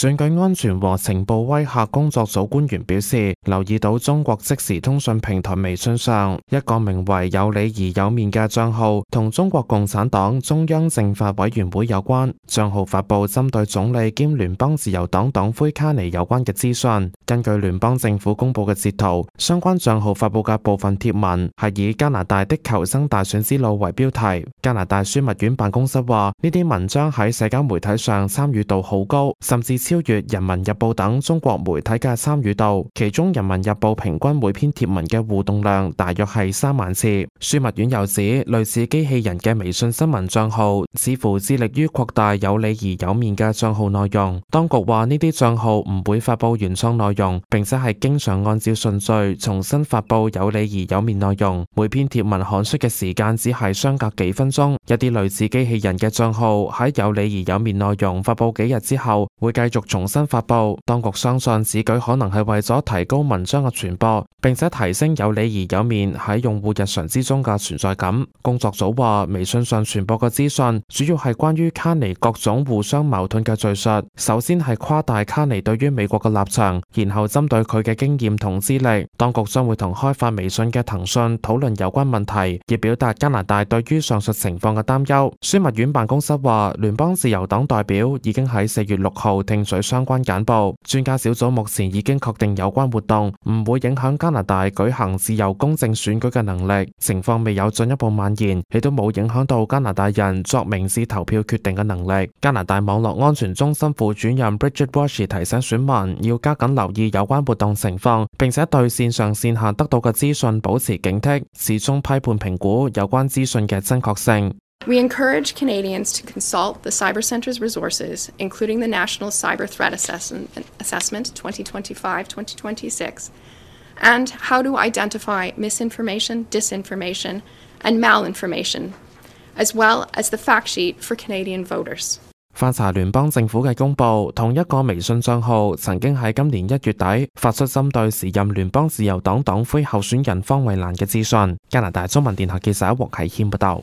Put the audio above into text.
選舉安全和情報威嚇工作組官員表示，留意到中國即時通訊平台微信上一個名為有理而有面嘅賬號同中國共產黨中央政法委員會有關，賬號發布針對總理兼聯邦自由黨黨魁卡尼有關嘅資訊。根據聯邦政府公布嘅截圖，相關賬號發布嘅部分貼文係以加拿大的求生大選之路為標題。加拿大樞密院辦公室話，呢啲文章喺社交媒體上參與度好高，甚至超越人民日報等中國媒體嘅參與度，其中人民日報平均每篇貼文嘅互動量大約係3萬次。樞密院又指，類似機器人嘅微信新聞賬號似乎致力於擴大有理而有面嘅賬號內容。當局話呢啲賬號唔會發佈原創內容，並且係經常按照順序重新發佈有理而有面內容。每篇貼文刊出嘅時間只係相隔幾分鐘。一啲類似機器人嘅賬號喺有理而有面內容發佈幾日之後，會繼續重新發佈。當局相信此舉可能係為咗提高文章嘅傳播，並且提升有理而有面喺用戶日常之中嘅存在感。工作組話，微信上傳播嘅資訊主要係關於卡尼各種互相矛盾嘅敘述，首先係誇大卡尼對於美國嘅立場，然後針對佢嘅經驗同資歷。當局將會同開發微信嘅騰訊討論有關問題，以表達加拿大對於上述情況嘅擔憂。樞密院辦公室話，聯邦自由黨代表已經喺4月6號聽取相關簡報，專家小組目前已經確定有關活動唔會影響加拿大舉行自由公正選舉嘅能力，情況未有進一步蔓延，亦都冇影響到加拿大人作明智投票決定嘅能力。加拿大網絡安全中心副主任 Bridget Walsh 提醒選民要加緊留意有關活動情況，並且對線上線下得到嘅資訊保持警惕，始終批判評估有關資訊嘅真確性。We encourage Canadians to consult the Cyber Centre's resources, including the National Cyber Threat Assessment 2025-2026, and how to identify misinformation, disinformation, and malinformation, as well as the fact sheet for Canadian voters. 翻查聯邦政府嘅公佈，同一個微信帳號曾經喺今年1月底發出針對時任聯邦自由黨黨魁候選人方慧蘭嘅資訊。加拿大中文電台記者獲啟謙報道。